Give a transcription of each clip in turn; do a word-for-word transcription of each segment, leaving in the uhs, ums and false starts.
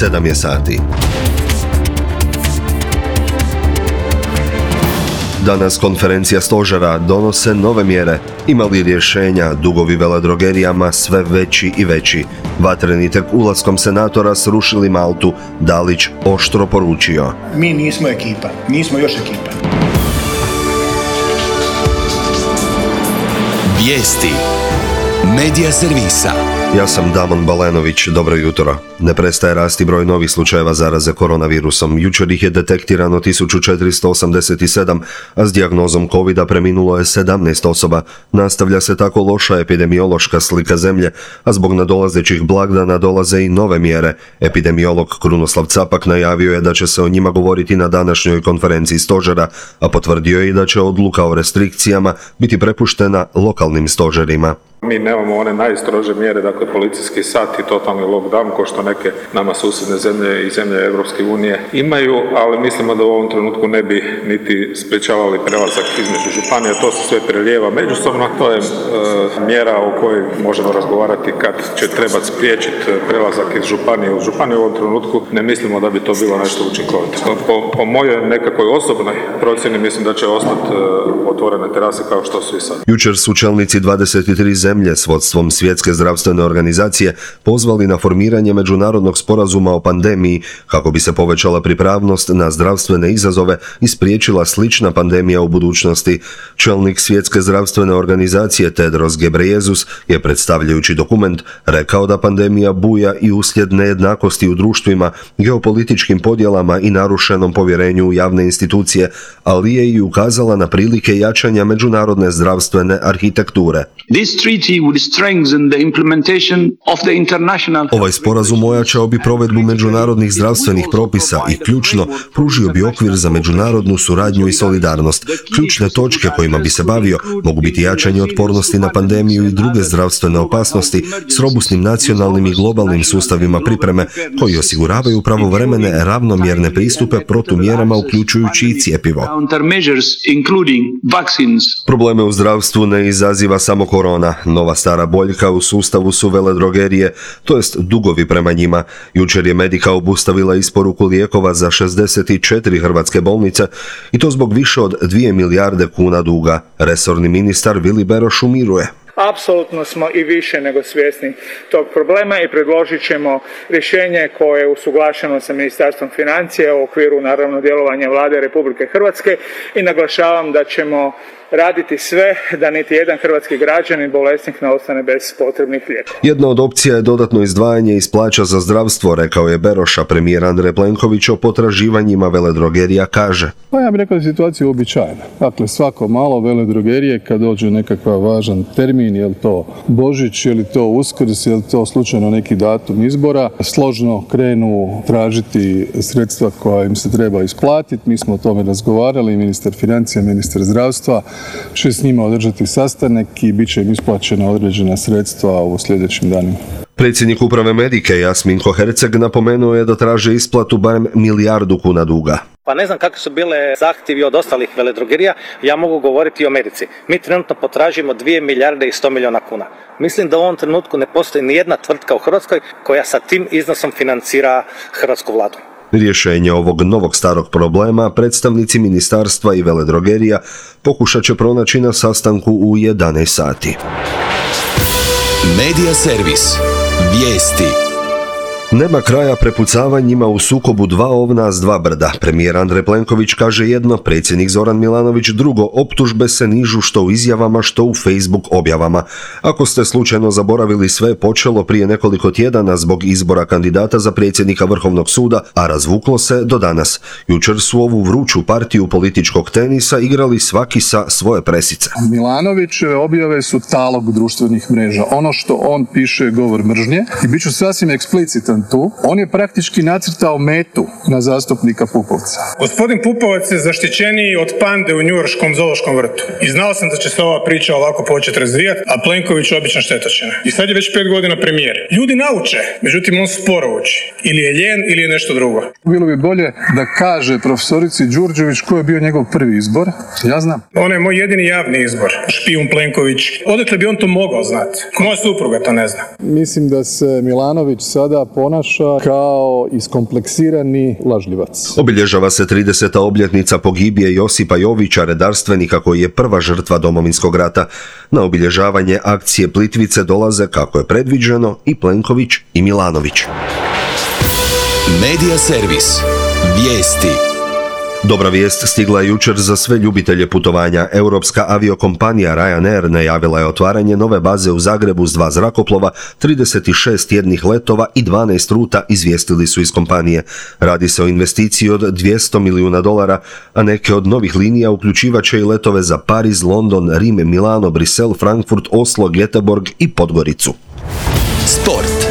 sedam je sati. Danas konferencija stožera donose nove mjere. Ima li rješenja, dugovi veledrogerijama sve veći i veći. Vatreni tek ulaskom senatora srušili Maltu, Dalić oštro poručio. Mi nismo ekipa, nismo još ekipa. Vijesti Medija servisa. Ja sam Damon Balenović, dobro jutro. Ne prestaje rasti broj novih slučajeva zaraze koronavirusom. Jučer ih je detektirano tisuću četiristo osamdeset sedam, a s dijagnozom covida preminulo je sedamnaest osoba. Nastavlja se tako loša epidemiološka slika zemlje, a zbog nadolazećih blagdana dolaze i nove mjere. Epidemiolog Krunoslav Capak najavio je da će se o njima govoriti na današnjoj konferenciji stožera, a potvrdio je i da će odluka o restrikcijama biti prepuštena lokalnim stožerima. Mi nemamo one najstrože mjere, dakle policijski sat i totalni lockdown, ko što neke nama susjedne zemlje i zemlje Europske unije imaju, ali mislimo da u ovom trenutku ne bi niti sprečavali prelazak između županija. To se sve prelijeva međusobno. To je e, mjera o kojoj možemo razgovarati kad će trebati spriječiti prelazak iz županije u županiju. U ovom trenutku ne mislimo da bi to bilo nešto učinkovito. Po, po mojoj nekakvoj osobnoj procjeni mislim da će ostati e, otvorene terase kao što su i sad. Jučer su čelnici dvadeset tri zemlje zemlje s vodstvom Svjetske zdravstvene organizacije pozvali na formiranje međunarodnog sporazuma o pandemiji kako bi se povećala pripravnost na zdravstvene izazove i spriječila slična pandemija u budućnosti. Čelnik Svjetske zdravstvene organizacije Tedros Ghebreyesus je predstavljajući dokument rekao da pandemija buja i uslijed nejednakosti u društvima, geopolitičkim podjelama i narušenom povjerenju u javne institucije, ali je i ukazala na prilike jačanja međunarodne zdravstvene arhitekture. Ovaj sporazum ojačao bi provedbu međunarodnih zdravstvenih propisa i ključno pružio bi okvir za međunarodnu suradnju i solidarnost. Ključne točke kojima bi se bavio mogu biti jačanje otpornosti na pandemiju i druge zdravstvene opasnosti s robusnim nacionalnim i globalnim sustavima pripreme koji osiguravaju pravovremene ravnomjerne pristupe protumjerama uključujući i cjepivo. Probleme u zdravstvu ne izaziva samo korona. Nova stara boljka u sustavu su veledrogerije, to jest dugovi prema njima. Jučer je Medika obustavila isporuku lijekova za šezdeset četiri hrvatske bolnice i to zbog više od dvije milijarde kuna duga. Resorni ministar Vili Beroš umiruje. Apsolutno smo i više nego svjesni tog problema i predložit ćemo rješenje koje je usuglašeno sa Ministarstvom financija u okviru naravno djelovanja Vlade Republike Hrvatske i naglašavam da ćemo raditi sve da niti jedan hrvatski građanin bolesnik ne ostane bez potrebnih lijekova. Jedna od opcija je dodatno izdvajanje iz plaća za zdravstvo, rekao je Beroša. Premijer Andrej Plenković o potraživanjima veledrogerija kaže. Pa ja bih rekao da je situacija uobičajena. Dakle, svako malo veledrogerije kad dođe nekakav važan termin, je li to Božić, je li to Uskrs, je li to slučajno neki datum izbora, složno krenu tražiti sredstva koja im se treba isplatiti. Mi smo o tome razgovarali, ministar financija, ministar zdravstva će s njima održati sastanak i bit će im isplaćena određena sredstva u sljedećim danima. Predsjednik uprave Medike Jasminko Herceg napomenuo je da traže isplatu barem milijardu kuna duga. Pa ne znam kakve su bile zahtjevi od ostalih veledrogerija, ja mogu govoriti o Medici. Mi trenutno potražimo dvije milijarde i sto milijuna kuna. Mislim da u ovom trenutku ne postoji ni jedna tvrtka u Hrvatskoj koja sa tim iznosom financira hrvatsku vladu. Rješenje ovog novog starog problema predstavnici ministarstva i veledrogerija pokušat će pronaći na sastanku u jedanaest sati. Medija servis. Vijesti. Nema kraja prepucavanjima u sukobu dva ovna s dva brda. Premijer Andrej Plenković kaže jedno, predsjednik Zoran Milanović drugo. Optužbe se nižu što u izjavama, što u Facebook objavama. Ako ste slučajno zaboravili, sve počelo prije nekoliko tjedana zbog izbora kandidata za predsjednika Vrhovnog suda, a razvuklo se do danas. Jučer su ovu vruću partiju političkog tenisa igrali svaki sa svoje presice. Milanovićeve objave su talog društvenih mreža. Ono što on piše je govor mržnje i bit ću sasvim eksplicitan tu. On je praktički nacrtao metu na zastupnika Pupovca. Gospodin Pupovac je zaštićeniji od pande u njujorškom zoološkom vrtu. I znao sam da će se ova priča ovako početi razvijati, a Plenković obična štetočina. I sad je već pet godina premijer. Ljudi nauče, međutim on sporo uči. Ili je ljen, ili je nešto drugo. Bilo bi bolje da kaže profesorici Đurđević ko je bio njegov prvi izbor. Ja znam. On je moj jedini javni izbor. Špijun Plenković. Odakle bi on to mogao znati? Moja supruga to ne zna. Mislim da se Milanović sada ponaša ponaša kao iskompleksirani lažljivac. Obilježava se trideseta obljetnica pogibije Josipa Jovića, redarstvenika koji je prva žrtva Domovinskog rata. Na obilježavanje akcije Plitvice dolaze, kako je predviđeno, i Plenković i Milanović. Medija servis. Vijesti. Dobra vijest stigla je jučer za sve ljubitelje putovanja. Europska aviokompanija Ryanair najavila je otvaranje nove baze u Zagrebu s dva zrakoplova, trideset šest tjednih letova i dvanaest ruta, izvijestili su iz kompanije. Radi se o investiciji od dvjesto milijuna dolara, a neke od novih linija uključivaće i letove za Pariz, London, Rim, Milano, Brisel, Frankfurt, Oslo, Göteborg i Podgoricu. Sport.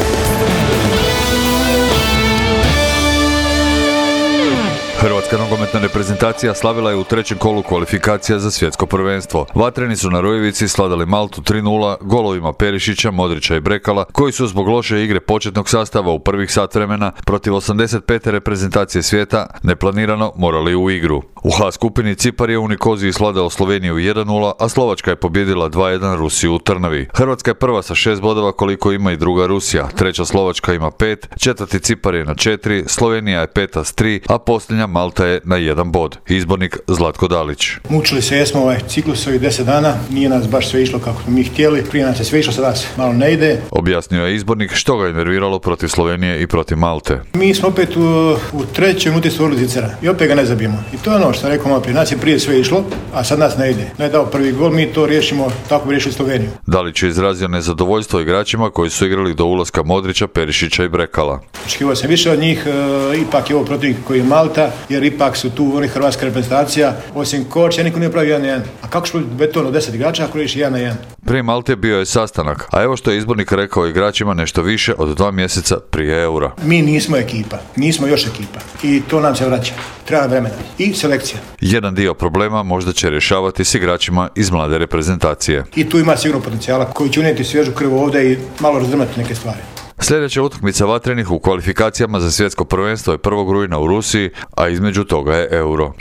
Hrvatska nogometna reprezentacija slavila je u trećem kolu kvalifikacija za svjetsko prvenstvo. Vatreni su na Rujevici sladali Maltu tri nula golovima Perišića, Modrića i Brekala, koji su zbog loše igre početnog sastava u prvih sat vremena protiv osamdeset pete reprezentacije svijeta neplanirano morali u igru. U H skupini Cipar je u Nikoziji sladao Sloveniju jedan nula, a Slovačka je pobjedila dva jedan Rusiju u Trnavi. Hrvatska je prva sa šest bodova koliko ima i druga Rusija, treća Slovačka ima pet, četvrti Cipar je na četiri, Slovenija je peta s tri, a posljednja Malta je na jedan bod. Izbornik Zlatko Dalić. Mučili se jesmo ovaj ciklus ovih deset dana, nije nas baš sve išlo kako smo mi htjeli, prije nas je sve išlo, sada se malo ne ide. Objasnio je izbornik što ga je nerviralo protiv Slovenije i protiv Malte. Mi smo opet u, u trećoj minuti stvorili Zicera i opet ga ne zabijemo. I to je ono što sam rekao malo prije, nas je prije sve išlo, a sad nas ne ide. Ne je dao prvi gol, mi to riješimo, tako bi riješili Sloveniju. Dalić je izrazio nezadovoljstvo igračima koji su igrali do ulaska Modrića, Perišića i Brekala. Očekivao sam više od njih, e, ipak je ovo protiv koji je Malta, jer ipak su tu oni hrvatska reprezentacija, osim Koča, niko nije pravio jedan na jedan. A kako što beton od deset igrača ako reši jedan na jedan? Prije Malte bio je sastanak, a evo što je izbornik rekao igračima nešto više od dva mjeseca prije Eura. Mi nismo ekipa, nismo još ekipa i to nam se vraća. Treba vremena i selekcija. Jedan dio problema možda će rješavati s igračima iz mlade reprezentacije. I tu ima sigurno potencijala koji će unijeti svježu krv ovdje i malo razdrmati neke stvari. Sljedeća utakmica Vatrenih u kvalifikacijama za svjetsko prvenstvo je prvog rujna u Rusiji, a između toga je Euro.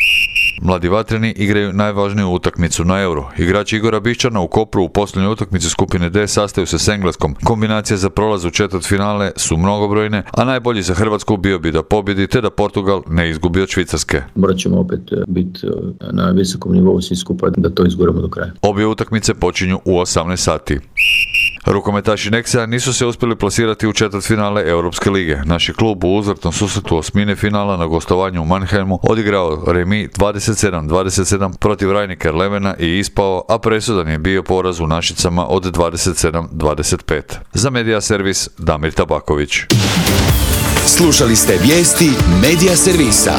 Mladi Vatreni igraju najvažniju utakmicu na Euro. Igrači Igora Bišćana u Kopru u posljednjoj utakmici skupine D sastaju se s Engleskom. Kombinacije za prolaz u četvrtfinale su mnogobrojne, a najbolji za Hrvatsku bio bi da pobjedi te da Portugal ne izgubi od Švicarske. Morat ćemo opet biti na visokom nivou svi skupa da to izguramo do kraja. Obje utakmice počinju u osamnaest sati. Rukometaši Nexa nisu se uspjeli plasirati u četvrtfinale Europske lige. Naš je klub u uzvratnom susretu osmine finala na gostovanju u Mannheimu odigrao remi dvadeset sedam dvadeset sedam protiv Rhein-Neckar Levena i ispao, a presudan je bio poraz u Našicama od dvadeset sedam dvadeset pet. Za Medija servis Damir Tabaković. Slušali ste vijesti Medija servisa.